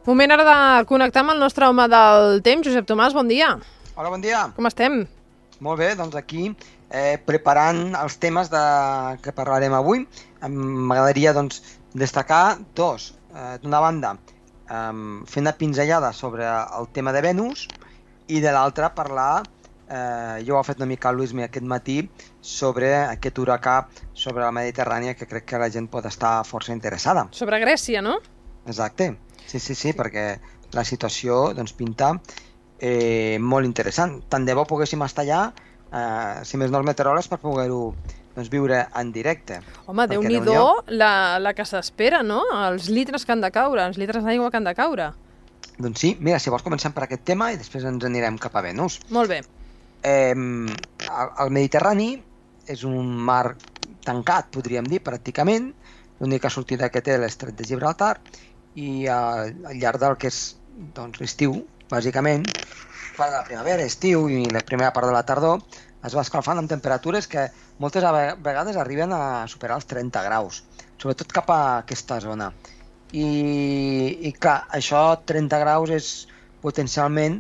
Moment ara de connectar amb el nostre home del temps, Josep Tomàs, bon dia. Hola, bon dia. Com estem? Molt bé, doncs aquí preparant els temes que parlarem avui. M'agradaria destacar dos. D'una banda, fer una pinzellada sobre el tema de Venus i de l'altra parlar, jo ho ha fet una mica el Luismi aquest matí, sobre aquest huracà sobre la Mediterrània que crec que la gent pot estar força interessada. Sobre Grècia, no? Exacte, sí, perquè la situació pinta molt interessant. Tant de bo poguéssim estar allà, si més no els meteoròlegs, per poder-ho viure en directe. Home, Déu-n'hi-do la que s'espera, no? Els litres que han de caure, els litres d'aigua que han de caure. Doncs sí, mira, si vols comencem per aquest tema i després ens anirem cap a Venus. Molt bé. El Mediterrani és un mar tancat, podríem dir, pràcticament. L'única sortida que té l'estret de Gibraltar i al llarg del que és l'estiu, bàsicament, quan la primavera, estiu i la primera part de la tardor es va escalfant amb temperatures que moltes vegades arriben a superar els 30 graus, sobretot cap a aquesta zona. I clar, això 30 graus és potencialment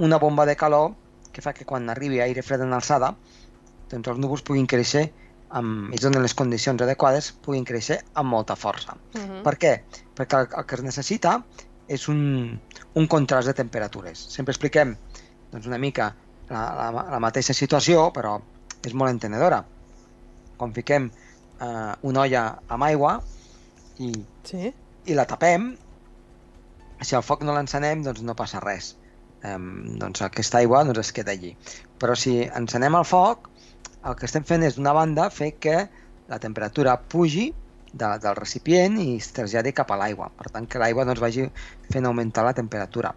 una bomba de calor que fa que quan arribi aire fred en alçada, doncs els núvols puguin créixer i es donen les condicions adequades, puguin créixer amb molta força. Per què? Perquè el que es necessita és un contrast de temperatures. Sempre expliquem una mica la mateixa situació, però és molt entenedora. Quan fiquem una olla amb aigua i la tapem, si el foc no l'encenem, doncs no passa res. Aquesta aigua es queda allí. Però si encenem el foc, el que estem fent és, d'una banda, fer que la temperatura pugi del recipient i es traslladi cap a l'aigua. Per tant, que l'aigua vagi fent augmentar la temperatura.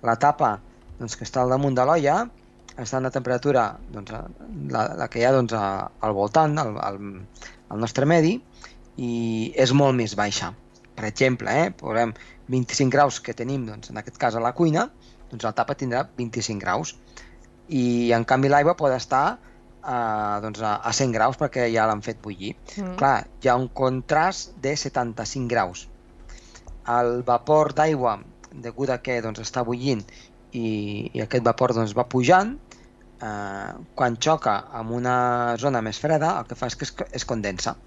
La tapa que està al damunt de l'olla està en la temperatura, la que hi ha al voltant, al nostre medi, i és molt més baixa. Per exemple, posem 25 graus que tenim, en aquest cas a la cuina, la tapa tindrà 25 graus. I en canvi l'aigua pot estar a 100 graus perquè ja l'han fet bullir. Clar, hi ha un contrast de 75 graus. El vapor d'aigua, degut a que està bullint i aquest vapor va pujant, quan xoca amb una zona més freda, el que fa és que es condensa.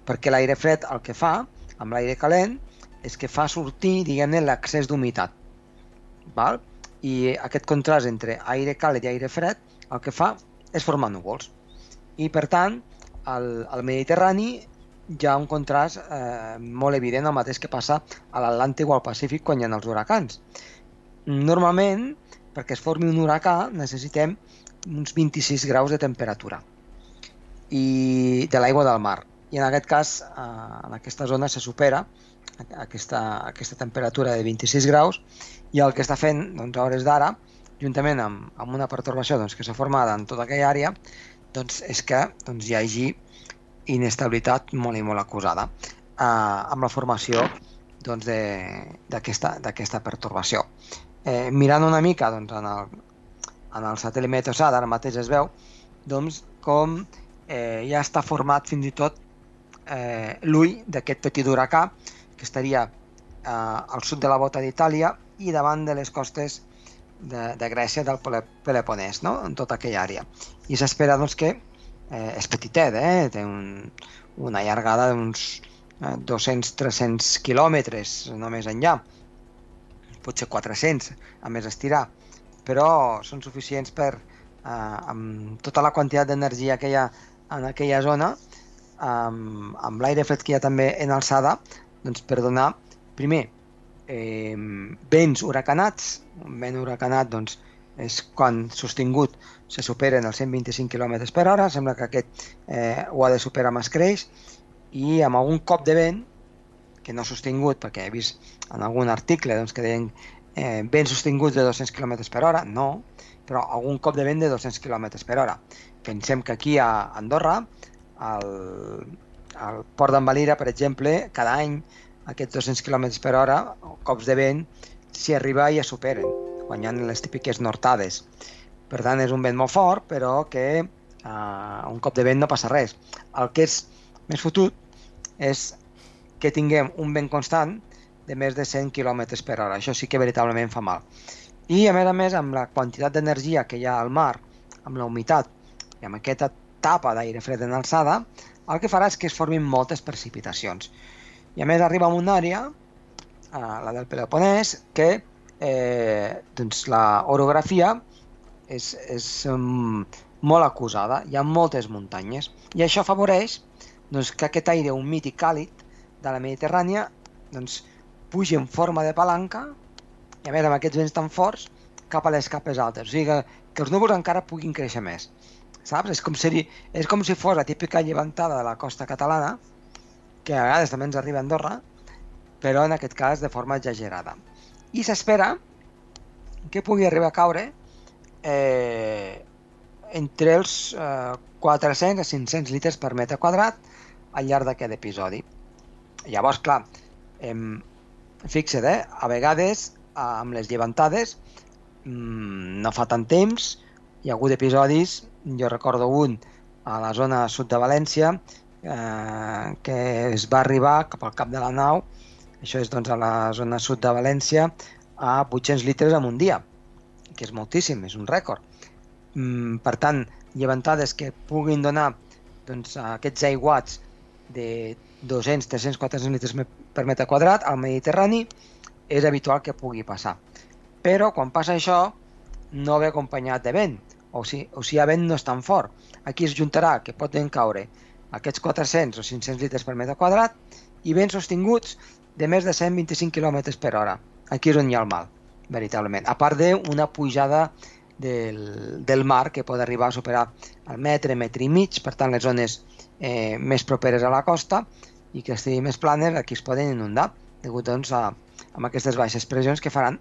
Perquè l'aire fred el que fa, amb l'aire calent, és que fa sortir, diguem-ne, l'excés d'humitat. I aquest contrast entre aire càlid i aire fred el que fa és formar núvols. I per tant, al Mediterrani hi ha un contrast molt evident, el mateix que passa a l'Atlàntic o al Pacífic quan hi ha els huracans. Normalment, perquè es formi un huracà, necessitem uns 26 graus de temperatura i de l'aigua del mar. I en aquest cas, en aquesta zona se supera aquesta temperatura de 26 graus i el que està fent a hores d'ara, juntament amb una pertorbació que s'ha format en tota aquella àrea, és que hi hagi inestabilitat molt i molt acusada amb la formació d'aquesta pertorbació. Mirant una mica en el satèl·lit Meteosat, ara mateix es veu com ja està format fins i tot l'ull d'aquest petit huracà que estaria al sud de la bota d'Itàlia i davant de les costes de Grècia, del Peloponès, en tota aquella àrea. I s'espera que és petitet, té una llargada d'uns 200-300 quilòmetres, no més enllà, potser 400 a més estirar, però són suficients per, amb tota la quantitat d'energia que hi ha en aquella zona, amb l'aire fred que hi ha també en alçada, per donar, primer, vents huracanats. Un vent huracanat és quan sostingut se superen els 125 km per hora, sembla que aquest ho ha de superar amb escreix, i amb algun cop de vent, que no sostingut, perquè he vist en algun article que deien vents sostinguts de 200 km per hora, no, però algun cop de vent de 200 km per hora. Pensem que aquí a Andorra, al port d'en Valira, per exemple, cada any aquests 200 km per hora, cops de vent, si arriba ja superen, quan hi ha les típiques nortades. Per tant, és un vent molt fort, però que un cop de vent no passa res. El que és més fotut és que tinguem un vent constant de més de 100 km per hora. Això sí que veritablement fa mal. I a més, amb la quantitat d'energia que hi ha al mar, amb la humitat i amb aquesta tapa d'aire fred en alçada, el que farà és que es formin moltes precipitacions. I a més arriba a una àrea, la del Peloponès, que doncs la orografia és molt acusada, hi ha moltes muntanyes, i això afavoreix doncs, que aquest aire humit i càlid de la Mediterrània doncs, pugi en forma de palanca, i a més amb aquests vents tan forts, cap a les capes altes, o sigui que els núvols encara puguin créixer més. Saps? És com si fos la típica llevantada de la costa catalana, que a vegades també ens arriba a Andorra, però en aquest cas de forma exagerada. I s'espera que pugui arribar a caure entre els 400 a 500 litres per metre quadrat al llarg d'aquest episodi. Llavors, clar, fixa't, a vegades amb les llevantades no fa tant temps, hi ha hagut episodis, jo recordo un a la zona sud de València, que es va arribar cap al cap de la nau, això és doncs a la zona sud de València, a 800 litres en un dia, que és moltíssim, és un rècord. Per tant, llevantades que puguin donar doncs, aquests aiguats de 200, 300, 400 litres per metre quadrat al Mediterrani és habitual que pugui passar. Però quan passa això no ve acompanyat de vent, o si hi ha vent no és tan fort. Aquí es juntarà que poden caure aquests 400 o 500 litres per metre quadrat i vents sostinguts de més de 125 km per hora. Aquí és on hi ha el mal, veritablement. A part d'una pujada del mar que pot arribar a superar el metre, metre i mig, per tant les zones més properes a la costa i que estiguin més planes, aquí es poden inundar, degut doncs, a aquestes baixes pressions que faran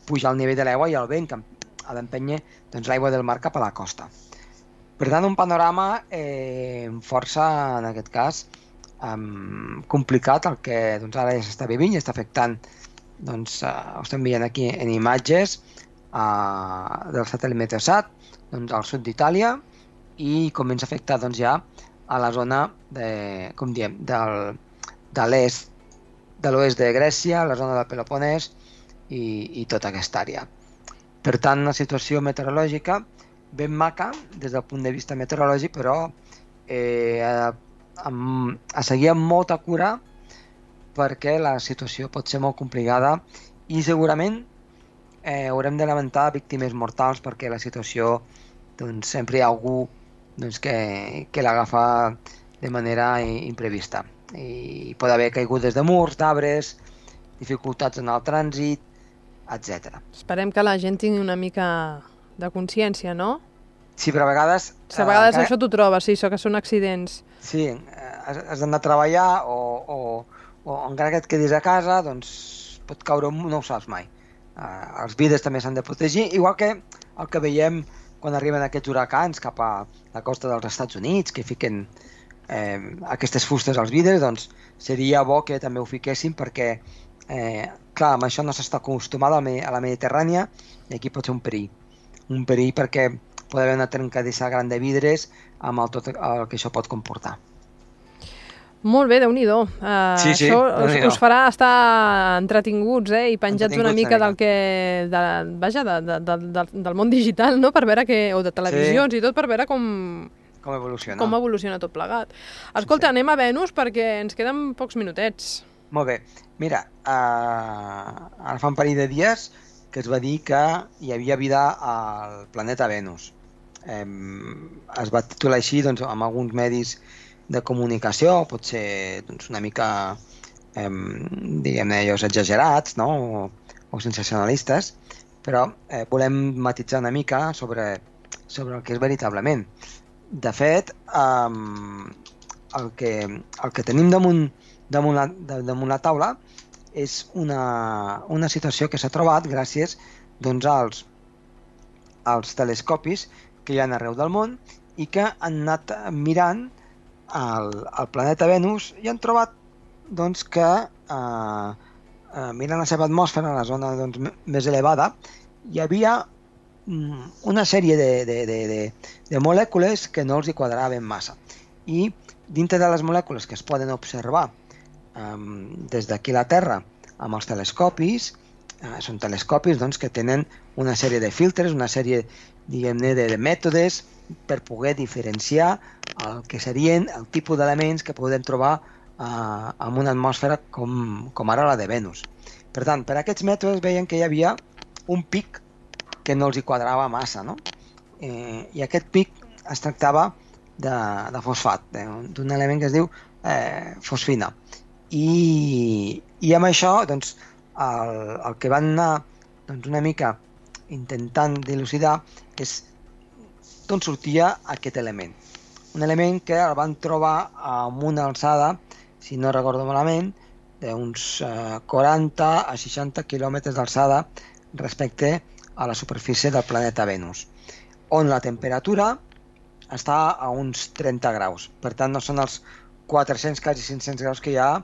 pujar el nivell de l'aigua i el vent que ha d'empènyer doncs, l'aigua del mar cap a la costa. Per tant, un panorama força, en aquest cas, complicat, el que doncs, ara ja s'està vivint i està afectant, doncs, ho estem veient aquí en imatges del satèl·lit Meteosat, doncs, al sud d'Itàlia, i comença a afectar doncs, ja a la zona de l'est, de l'oest de Grècia, la zona del Peloponès i tota aquesta àrea. Per tant, una situació meteorològica ben maca des del punt de vista meteorològic, però a seguir amb molta cura perquè la situació pot ser molt complicada i segurament haurem de lamentar víctimes mortals perquè la situació doncs, sempre hi ha algú doncs, que l'agafa de manera imprevista. I pot haver caigudes de murs, d'arbres, dificultats en el trànsit, etc. Esperem que la gent tingui una mica de consciència, no? Sí, però a vegades... A vegades això t'ho trobes, sí, això que són accidents. Sí, has d'anar a treballar o encara que et quedis a casa, doncs pot caure, no ho saps mai. Els vidres també s'han de protegir, igual que el que veiem quan arriben aquests huracans cap a la costa dels Estats Units, que fiquen aquestes fustes als vidres, doncs seria bo que també ho fiquessin perquè, clar, amb això no s'està acostumat a la Mediterrània i aquí pot ser un perill. Un perill perquè pot haver una trencadissa gran de vidres amb tot el que això pot comportar. Molt bé, Déu-n'hi-do. Sí, això us farà estar entretinguts i penjats una mica del món digital, no? Per veure o de televisions i tot, per veure com evoluciona tot plegat. Escolta, anem a Venus perquè ens queden pocs minutets. Molt bé. Mira, ara fa un parell de dies que es va dir que hi havia vida al planeta Venus. Es va titular així doncs, amb alguns medis de comunicació, pot ser doncs, una mica diguem-ne ells exagerats, no? o sensacionalistes, però volem matisar una mica sobre el que és veritablement. De fet, el que tenim damunt la taula és una situació que s'ha trobat gràcies doncs, als telescopis que hi ha arreu del món i que han anat mirant el planeta Venus i han trobat doncs, que mirant la seva atmosfera, la zona doncs, més elevada, hi havia una sèrie de molècules que no els hi quadraven massa. I dintre de les molècules que es poden observar des d'aquí a la Terra amb els telescopis. Són telescopis doncs, que tenen una sèrie de filtres, una sèrie, diguem-ne, de mètodes per poder diferenciar el que serien el tipus d'elements que podem trobar en una atmosfera com ara la de Venus. Per tant, per aquests mètodes veien que hi havia un pic que no els hi quadrava massa, no? I aquest pic es tractava de fosfat, d'un element que es diu fosfina. I amb això, doncs, el que van anar una mica intentant dilucidar és d'on sortia aquest element. Un element que el van trobar amb una alçada, si no recordo malament, d'uns 40 a 60 quilòmetres d'alçada respecte a la superfície del planeta Venus, on la temperatura està a uns 30 graus. Per tant, no són els 400, quasi 500 graus que hi ha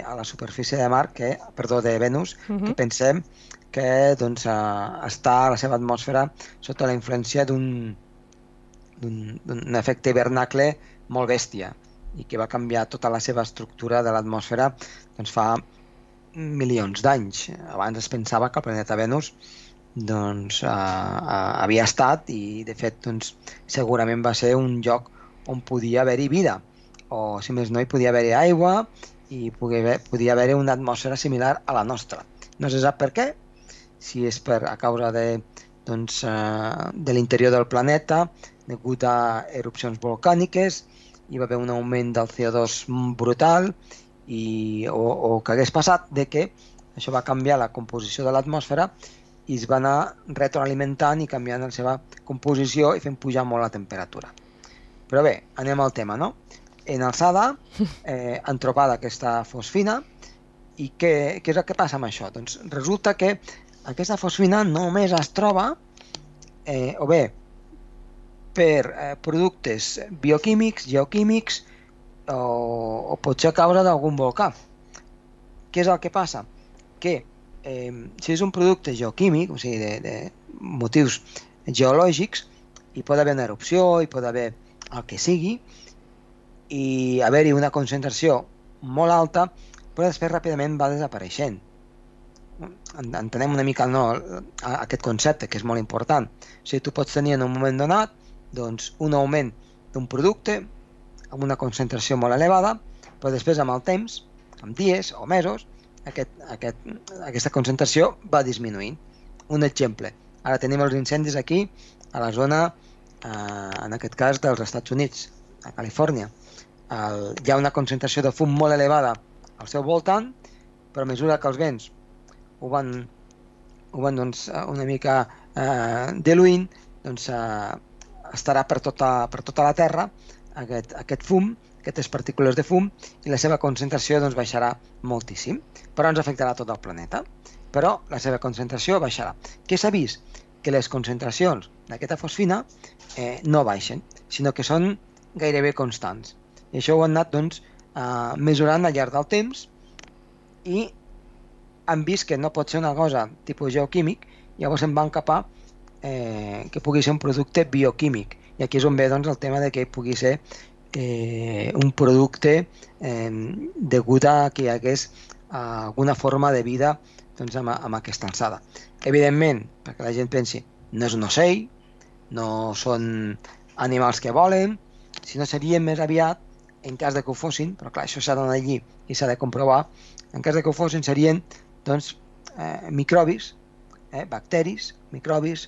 a la superfície de Venus, que pensem que doncs, està a la seva atmosfera sota la influència d'un efecte hivernacle molt bèstia i que va canviar tota la seva estructura de l'atmosfera doncs, fa milions d'anys. Abans es pensava que el planeta Venus doncs, havia estat i de fet doncs, segurament va ser un lloc on podia haver-hi vida, o si més no hi podia haver-hi aigua i podia haver-hi una atmosfera similar a la nostra. No se sap per què, si és a causa de l'interior del planeta degut a erupcions volcàniques, hi va haver un augment del CO2 brutal o que hagués passat de que això va canviar la composició de l'atmosfera i es va anar retroalimentant i canviant la seva composició i fent pujar molt la temperatura. Però bé, anem al tema, no? En alçada han trobat aquesta fosfina i què és el que passa amb això? Doncs resulta que aquesta fosfina només es troba o bé per productes bioquímics, geoquímics o potser a causa d'algun volcà. Què és el que passa? Que si és un producte geoquímic, o sigui, de motius geològics, hi pot haver una erupció, hi pot haver el que sigui, i haver-hi una concentració molt alta, però després ràpidament va desapareixent. Entenem una mica aquest concepte, que és molt important. O sigui, tu pots tenir en un moment donat doncs, un augment d'un producte amb una concentració molt elevada, però després amb el temps, amb dies o mesos, aquesta concentració va disminuint. Un exemple, ara tenim els incendis aquí a la zona, en aquest cas dels Estats Units, a Califòrnia. Hi ha una concentració de fum molt elevada al seu voltant, però a mesura que els vents ho van doncs, una mica diluint, doncs estarà per tota la Terra aquest fum, aquestes partícules de fum, i la seva concentració doncs, baixarà moltíssim, però ens afectarà tot el planeta, però la seva concentració baixarà. Què s'ha vist? Que les concentracions d'aquesta fosfina no baixen, sinó que són gairebé constants. I això ho han anat doncs, mesurant al llarg del temps i han vist que no pot ser una cosa tipus geoquímic, llavors en van cap a que pugui ser un producte bioquímic. I aquí és on ve doncs, el tema de que pugui ser un producte degut a que hi hagués alguna forma de vida doncs, amb aquesta alçada. Evidentment, perquè la gent pensi, no és un ocell, no són animals que volen, sinó serien més aviat, en cas de que ho fossin, però clar, això s'ha d'anar allí i s'ha de comprovar, en cas de que ho fossin serien doncs, microbis, bacteris, microbis,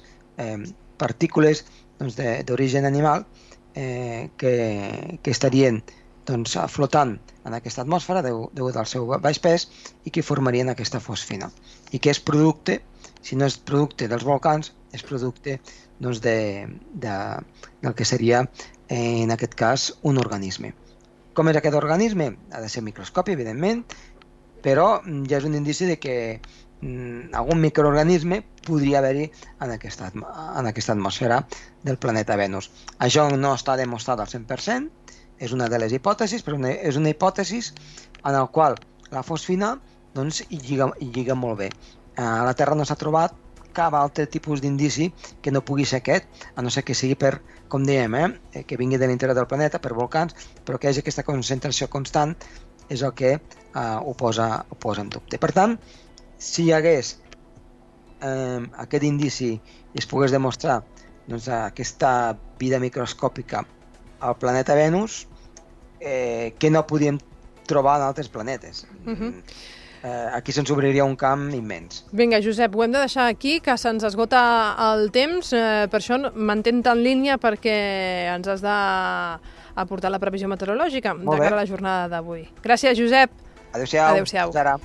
partícules doncs, d'origen animal que estarien doncs, flotant en aquesta atmosfera degut al seu baix pes i que formarien aquesta fosfina. I que és producte, si no és producte dels volcans, és producte doncs, del que seria, en aquest cas, un organisme. Com és aquest organisme? Ha de ser microscopi, evidentment, però ja és un indici de que algun microorganisme podria haver-hi en aquesta atmosfera del planeta Venus. Això no està demostrat al 100%, és una de les hipòtesis, però és una hipòtesi en la qual la fosfina doncs, hi lliga molt bé. A la Terra no s'ha trobat cap altre tipus d'indici que no pugui ser aquest, a no ser que sigui per, com dèiem, que vingui de l'interior del planeta, per volcans, però que hi hagi aquesta concentració constant és el que ho posa en dubte. Per tant, si hi hagués aquest indici i es pogués demostrar aquesta vida microscòpica al planeta Venus, que no podíem trobar en altres planetes. Aquí se'ns obriria un camp immens. Vinga, Josep, ho hem de deixar aquí, que se'ns esgota el temps. Per això mantén en línia, perquè ens has d'aportar la previsió meteorològica de cara a la jornada d'avui. Gràcies, Josep. Adéu-siau. Adéu-siau. Fins ara.